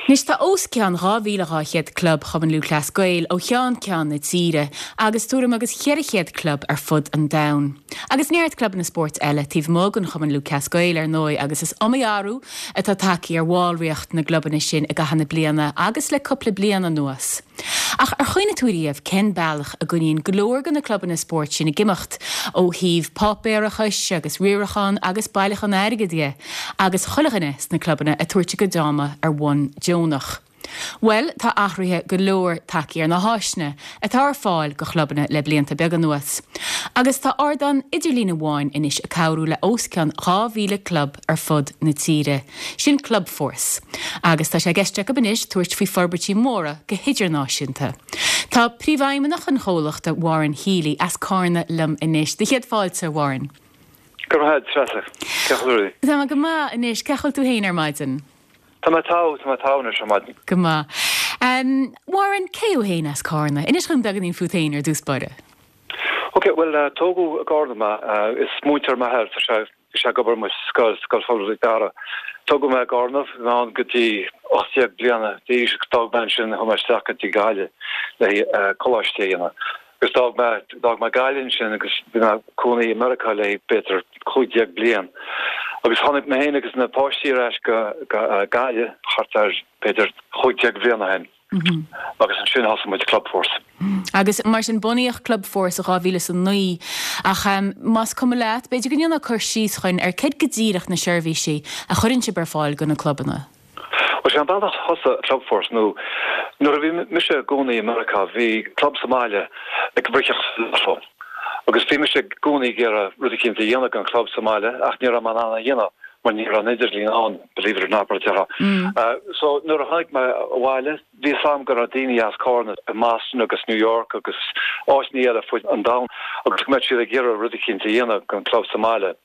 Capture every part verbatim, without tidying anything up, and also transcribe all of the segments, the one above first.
Anois tá os cionn dhá mhíle dhá chéad club Chumann Lúthchleas Gael ó cheann ceann na tíre agus tuairim agus cheithre chéad club ar fud an domhain. Agus neart clubanna spóirt eile taobh amuigh den Chumann Lúthchleas Gael ar ndóigh agus is iomaí athrú atá tagtha ar bhallraíocht na gclubanna sin i gcaitheamh na bliana agus le cúpla bliain anuas. Ach ar chuimhnigh tú riamh cén bealach a gcoinníonn go leor de na clubanna spóirt sin ag imeacht ó thaobh páipéarachais agus riarachán agus bailiúchán airgid de agus chuile dhuine sna clubanna ag tabhairt a gcuid ama ar bhonn deonach. Well, tá athruithe go leor tagtha ar na háiseanna atá ar fáil do chlubanna le blianta beaga anuas. Agus tá ardán idirlín amháin anois ag cabhrú le os cionn dhá mhíle club ar fud na tíre. Sin Clubforce. Agus tá sé i gceist acu anois tabhairt faoi forbairtí móra go hidirnáisiúnta. Tá príomhfheidhmeannach an chomhlachta Warren Healy as Carna liom anois. Do chéad fáilte Warren. Go raibh Treasa. Tá go maith anois cén chaoi a bhfuil tú féin ar maidin. Tá mé tá tá mé tá ar maidin. Go maith. Um, Warren cé thú féin as Carna, Inis dom beagáinín fút féin ar dtús báire. Ok, well uh, tógadh i gCarna mé uh, is múinteoir m'athair sé sé ag obair mar scoil Scoil Phobail Mhic Dara. Tógadh mé i gCarna ná go dtí ocht déag bliana d'aois d'fhág mé ansin chuaigh mé isteach go dtí Gaillimh le uh, coláiste a dhéanamh. Agus d'fhág mé d'fhág mé Gaillimh sin agus bhí mé i gcónaí i Meiriceá le b'fhéidir cúig déag bliain. Agus tháinig mé féin agus na páistí ar ais go Gaillimh thart ar b'fhéidir cúig déag bliain ó shin. Agus ansin thosaigh muid Clubforce. Agus mar sin bunaíodh Clubforce a dhá mhíle is a naoi ach um, más cuma leat, b'fhéidir go ndéanfá cur síos dúinn ar cad go díreach na seirbhísí a chuireann sibh ar fáil do na clubanna. Well sé an bealach thosaigh Clubforce nó nuair a bhí mise i gcónaí i Meiriceá bhí club sa mbaile ag briseadh lotto. Agus bhí mise i gcónaí ag iarraidh rud éicint a dhéanamh don club sa mbaile ach ní raibh mé in ann a dhéanamh mar ní raibh an idirlíon ann believe it or not mar a uh, so nuair a tháinig mé abhaile bhí a fhios agam go raibh daoine as Carna i Boston agus New York agus áiteanna eile fud an domhain agus go mbeadh siad ag iarraidh rud éicint a dhéanamh don club sa mbaile.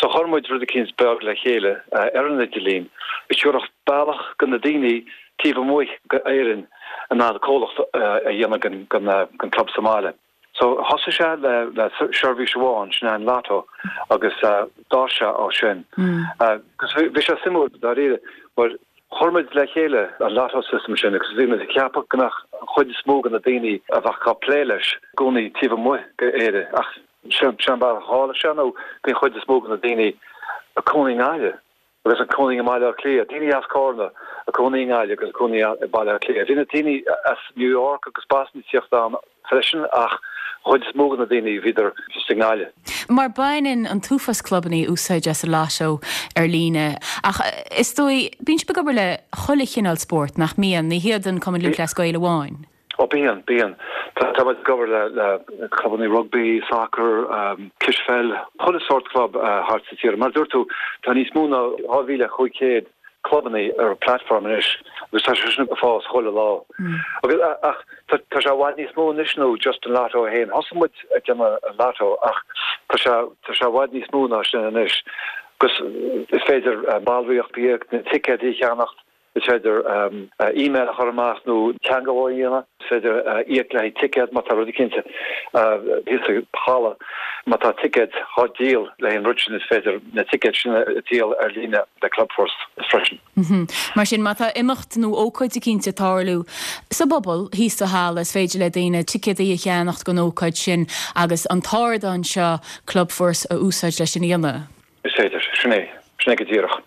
So chuir muid rud éicint beag le chéile uh, ar an idirlíon. Is siúrach bealach do na daoine taobh amuigh d'Éirinn an ná comhlacht uh, a dhéanamh don club sa mbaile. So thosaigh sé le le seirbhís amháin sin an lotto agus uh, d'fhás sé ó sin. Agus bhí sé suimiúil dáiríre mar chuir muid le chéile an lotto system sin agus bhí muid ag ceapadh go mbeadh an chuid is mó de na daoine a bheadh ag plé leis i gcónaí taobh amuigh d'Éire ach sin sin ba tharla sé nó bhí an chuid is mó de na daoine ag cónaí i nGaillimh. agus ag cónaí i mBaile Átha Cliath, daoine as Carna ag cónaí i nGaillimh agus cónaí i Baile Átha Cliath. Bhí na daoine as New York agus Boston ag teacht ann freisin ach chuid is mó de na daoine bhíodar just i nGaillimh. Mar baineann an t-uafás clubanna úsáid as an lotto ar líne ach is dóigh bíonn sibh ag obair le chuile chineál spórt nach mbíonn ní hiad an Cumann Lúthchleas Gael amháin. Ó bíonn bíonn Tá ag obair le le clubanna rugby, soccer, um, cispheil, chuile sórt club uh, thart sa tír. Mar dúirt tú tá níos mó ná dhá mhíle cúig chéad clubanna ar platform anois agus tá sé sin ag fás chuile lá. Agus ach tá sé i bhfad níos mó anois nó just an lotto féin. Thosaigh muid ag déanamh an lotto ach tá sé tá sé i bhfad níos mó ná sin anois. Gus is féidir uh, ballraíocht a íoc na ticéid a cheannacht is féidir um, uh, e-mail a chur amach nó teagmháil a dhéanamh, is féidir uh, íoc le ticéad má tá rud cinnte thíos sa halla má tá ticéad á dhíol le an rud sin is féidir na ticéid sin a dhíol ar líne le Clubforce freisin. Mm -hmm. Mar sin má tá imeacht nó ócáid éicint ag tarlú sa bpobal thíos sa halla is féidir le daoine ticéadaí a cheannacht don ócáid sin agus an t-ardán seo Clubforce a úsáid leis sin a dhéanamh. Is féidir sin é sin é go díreach.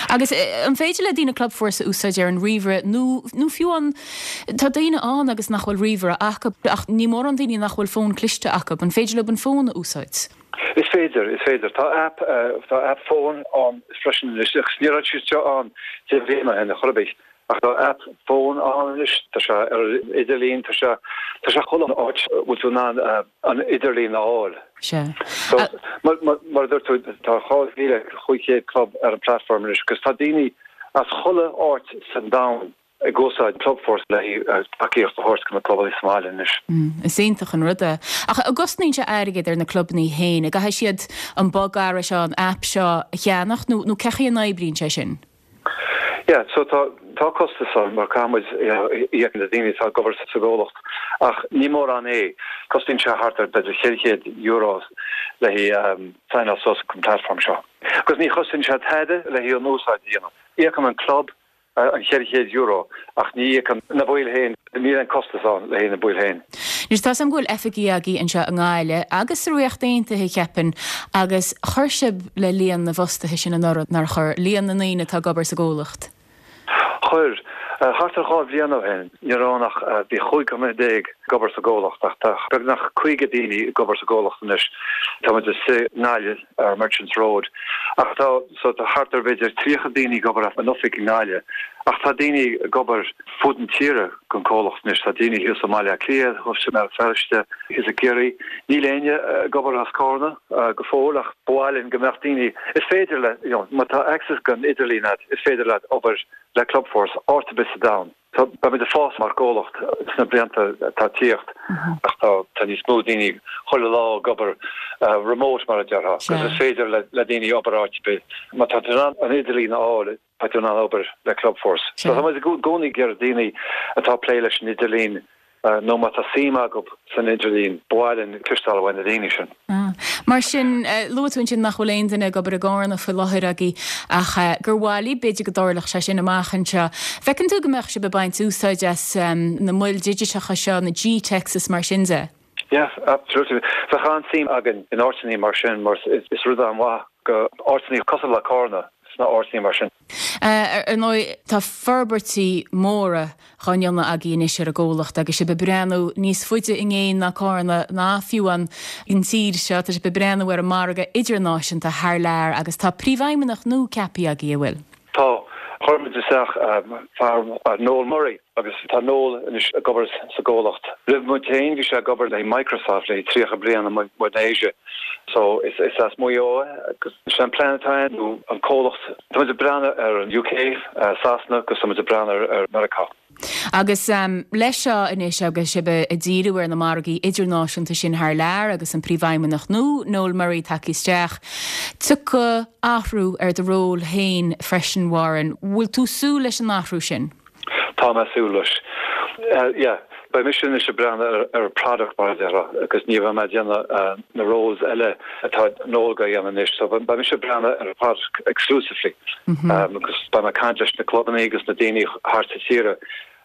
Agus an féidir le daoine Clubforce a úsáid ar an ríomhaire nó nó fiú an tá daoine ann agus nach bhfuil ríomhaire acu ach ní mór an daoine nach bhfuil fón cliste acu, an féidir le an fón a úsáid. Is féidir is féidir tá app uh, tá app fón ann freisin anois ní raibh sé seo ann deich mbliana ó shin chor ar bith ach tá app fón ann anois tá sé ar idirlíon tá sé tá sé chuile áit bhfuil tú in ann uh, an idirlíon a fháil. Se. So, mar mar dúirt tú tá dhá mhíle cúig chéad club ar an platform anois, agus tá daoine as chuile áit san domhan ag úsáid Clubforce le tacaíocht a thabhairt do na clubanna sa mbaile anois. Mm, is iontach an rud é. Ach an gcosnaíonn sé airgead ar na clubanna féin, caithfidh siad an bogearra seo an app seo a cheannach nó nó cén chaoi a n-oibríonn sé sin. Yeah, so tá tá costas ann mar caithfimid íoc na daoine atá ag obair sa gcomhlacht ach ní mórán é cosnaíonn sé thart ar b'fhéidir ceithre chéad euro le um, sign suas an platform seo. Agus ní chosnaíonn sé tada le hí an úsáid a dhéanamh. Íocann an club an cheithre chéad euro ach ní íocann na baill féin, níl aon costas ann le haghaidh na baill féin. Anois tá 's agam go bhfuil oifigí agaibh anseo i nGaillimh agus sa Ríocht Aontaithe cheapfainn agus chuir sibh le líon na bhfostaithe sin anuraidh, nár chuir, líon na ndaoine atá ag obair sa gcomhlacht? Chuir. Thart ar dhá bhliain ó shin ní raibh ann ach bhí chúig dhuine déag ag obair sa gcomhlacht ach tá beagnach caoga daoine ag obair sa gcomhlacht anois. Tá muid i nGaillimh ar Merchants Road ach tá so tá thart ar b'fhéidir tríocha daoine ag obair as an oifig i nGaillimh ach tá daoine ag obair fud an tíre don comhlacht anois. Tá daoine thíos i mBaile Átha Cliath, thuas i mBéal Feirste, thíos i gCiarraí. Níl éinne ag obair as Carna go fóill ach ba mhaith linn go mbeadh daoine is féidir le you know má tá access don idirlíon agat is féidir leat obair le Clubforce áit ar bith sa domhan. So beimid ag fás mar chomhlacht sna blianta atá ag tíocht ach tá tá níos mó daoine chuile lá ag obair remote mar a déarfá agus is féidir le le daoine obair áit ar bith. Má tá tú in ann an idirlíon a fháil tá tú in ann obair le Clubforce. So tá muid i gcónaí ag iarraidh daoine atá ag plé leis an idirlíon nó má tá suim acu san idirlíon, ba mhaith linn cloisteáil uaidh na daoine sin. Mar sin, luaigh tú ansin nach bhfuil aon duine ag obair i gCarna faoi láthair agaibh ach gur mhaith libh, b'fhéidir go dtarlódh sé sin amach anseo. Feiceann tú go mbeadh sibh ag baint úsáid as na moil digiteacha seo, na G-Techs is mar sin de? Yeah, absolutely. Bheadh an-suim againn in áiteanna mar sin mar is rud an-mhaith go áiteanna cosúil le Carna sna áiteanna mar sin. Ar ndóigh, tá forbairtí móra dhá ndéanamh agaibh anois ar an gcomhlacht agus sibh ag breathnú níos faide i gcéin ná Carna ná fiú an tír seo, tá sibh ag breathnú ar an margadh idirnáisiúnta thar lear agus tá príomhfheidhmeannach nua ceaptha agaibh, an bhfuil? Tá. Chuir muid isteach fear Noel Murray agus tá Noel anois ag obair sa gcomhlacht. Roimh muid féin bhí sé ag obair le Microsoft le tríocha bliain amuigh in Asia. So is is as Maigh Eo é agus is é an plean atá ann nó an comhlacht, tá muid ag breathnú ar an UK, Sasana agus tá muid ag breathnú ar ar Meiriceá. Agus leis seo anois agus sibh ag díriú ar na margaí idirnáisiúnta sin thar lear agus an Príomhfheidhmeannach nua, Noel Murray tagtha isteach, tiocfaidh athrú ar do ról féin freisin, Warren. Bhfuil tú súil leis an athrú sin? Tá mé súil leis. Yeah, beidh mise anois ag breathnú ar ar product mar a déarfá agus ní bheidh mé ag déanamh na roles eile atá Noel ag déanamh anois. So beidh mise ag breathnú ar product exclusively agus beidh mé ag caint leis na clubanna agus na daoine thart sa tíre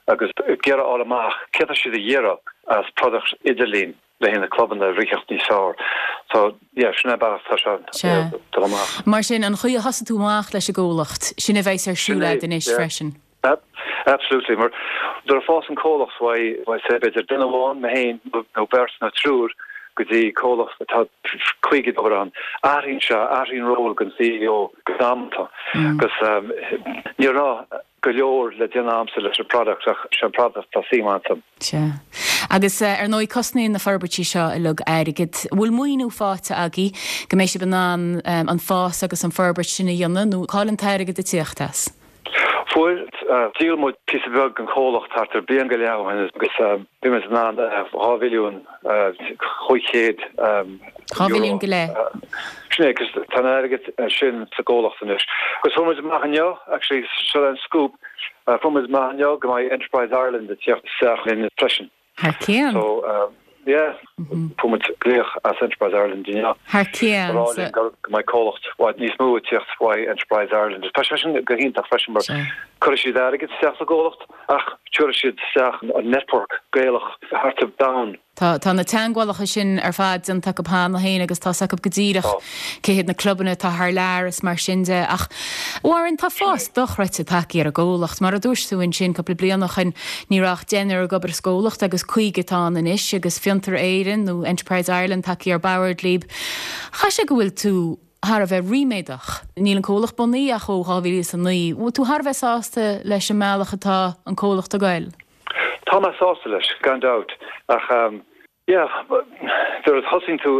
agus ag iarraidh fháil amach céard atá siad a iarraidh as product idirlín le haghaidh na clubanna a ritheacht níos fearr. So yeah, sin é an bealach atá sé ag dul amach. Mar sin, an chaoi a thosaigh tú amach leis an gcomhlacht, sin a bheas ar siúl agat anois freisin? Absolutely, mar nuair a fás an comhlacht uaidh, say, b'fhéidir duine amháin, mé féin, nó beirt nó triúr, go dtí comhlacht atá caoga ag obair ann, athraíonn sé, athraíonn ról den CEO go damanta. Agus ní raibh go leor le déanamh agamsa leis an product ach sé an product atá suim iontu. Sea. Agus ar ndóigh cosnaíonn na forbairtí seo uilig airgead. Bhfuil maoiniú faighte agaibh go mbeidh sibh in ann an fás agus an forbairt sin a dhéanamh nó cá bhfuil an t-airgead ag tíocht as? Fuair. Dhíol muid píosa beag den chomhlacht thart ar bliain go leith ó shin agus bhí muid in ann dhá mhilliún chúig chéad Dhá mhilliún go leith. Sin é, agus tá an airgead sin sa gcomhlacht anois. Agus fuair muid amach inniu, actually, seo an scoop, fuair muid amach inniu go mbeidh Enterprise Ireland ag tíocht isteach linn freisin. Thar cionn. So, yeah, fuair muid glaoch as Enterprise Ireland inniu. Thar cionn. Ag rá linn go mbeidh comhlacht i bhfad níos mó ag tíocht uaidh Enterprise Ireland. Tá sé sin go hiontach freisin mar cuirfidh siad airgead isteach sa gcomhlacht ach tabharfaidh siad isteach an network Gaelach thart ar domhan. Tá, tá na teagmhálacha sin ar fad déanta acu cheana féin agus tá's acu go díreach cé hiad na clubanna atá thar lear is mar sin de. Ach, Warren, tá fás dochreidte tagtha ar an gcomhlacht. Mar a dúirt tú ansin cúpla bliain ó shin, ní raibh ach deichniúr ag obair sa gcomhlacht agus caoga atá ann anois agus Fiontar Éireann nó Enterprise Ireland tagtha ar bord libh. Chaithfeadh sé go bhfuil tú thar a bheith ríméadach. Níl an comhlacht bunaithe ach ó dhá mhíle is a naoi. Bhfuil tú thar a bheith sásta leis an mbealach atá an comhlacht ag goil? Tá mé sásta leis, gan dabht, ach yeah, nuair a thosaíonn tú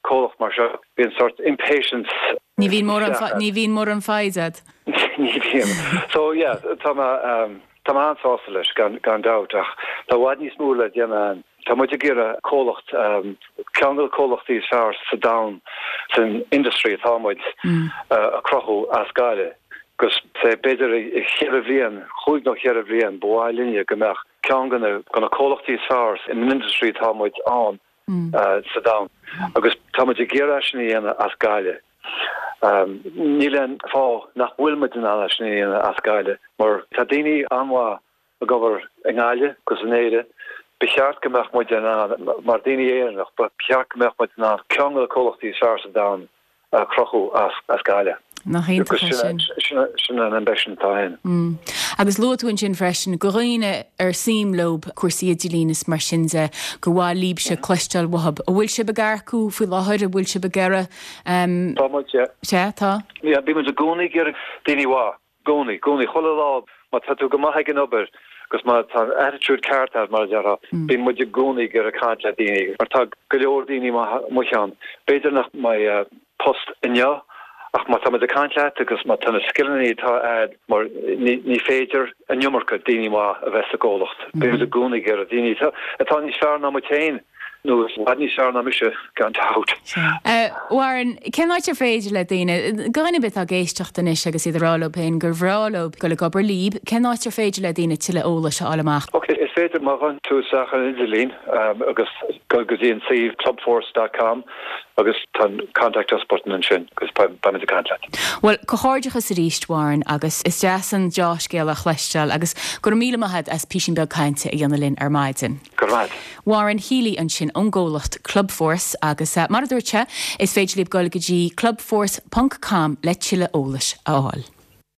comhlacht mar seo, bíonn sort impatience Ní bhíonn mórán, ní bhíonn mórán foighid agat. Ní bhíonn. So yeah, tá mé, tá mé an-sásta leis, gan, gan dabht, ach tá i bhfad níos mó le déanamh ann. Tá muid ag iarraidh comhlacht, ceann de na comhlachtaí is fearr sa domhan san industry atá muid a chruthú as Gaillimh. Agus say b'fhéidir i cheithre bhliain, chúig nó cheithre bhliain, ba mhaith linne go mbeadh ceann de na de na comhlachtaí is fearr in industry atá muid ann sa domhan. Agus tá muid ag iarraidh sin a dhéanamh as Gaillimh. Níl aon fáth nach bhfuil muid in ann é sin a dhéanamh as Gaillimh mar tá daoine an-mhaith ag obair i nGaillimh agus in Éire. Ba cheart go mbeadh muid in ann, mar daoine Éireannach, ba cheart go mbeadh muid in ann ceann de na comhlachtaí is fearr sa domhan a chruthú as Gaillimh. Nach iontach é sin. Sin an ambition atá againn. Agus luaigh tú ansin freisin do dhaoine ar suim leo cúrsaí idirlín is mar sin de, gur mhaith libhse cloisteáil uathub. An bhfuil sibh ag earcú faoi láthair? An bhfuil sibh ag iarraidh? Tá muid, yeah. Sea, tá. Yeah, bíonn muid i gcónaí ag iarraidh daoine mhaith. gcónaí, gcónaí, chuile lá, má tá tú go maith ag an obair agus má tá an attitude ceart agat, mar a déarfá, bíonn muid i gcónaí ag iarraidh caint le daoine, mar tá go leor daoine maithe amuigh ann. B'fhéidir nach mbeidh post inniu, ach má tá muid ag caint leat agus má tá na scileanna atá agat, mar ní ní féidir an iomarca daoine maith a bheith sa gcomhlacht. Bíonn muid i gcónaí ag iarraidh daoine atá atá níos fearr ná muid féin. Nó i bhfad níos fearr ná mise, gan dabht. Warren, cén áit ar féidir le daoine, dhuine ar bith atá ag éisteacht anois agus iad ag rá leo féin gur bhreá leo dul ag obair libh, cén áit ar féidir le daoine tuilleadh eolais a fháil amach? Ok, is féidir má ghabhann tú isteach ar an idirlíon agus dul go dtí an suíomh clubforce dot com agus tá an contact us button ansin agus beimid ag caint leat. Bhuel, comhghairdeachas arís, Warren, agus is deas an deá-scéal a chloisteáil agus go raibh míle maith agat as písín beag cainte a dhéanamh linn ar maidin. Go raibh maith. Warren Healy ansin ón gcomhlacht Clubforce agus mar a dúirt sé, is féidir libh dul go dtí clubforce ponc com le tuilleadh eolais a fháil.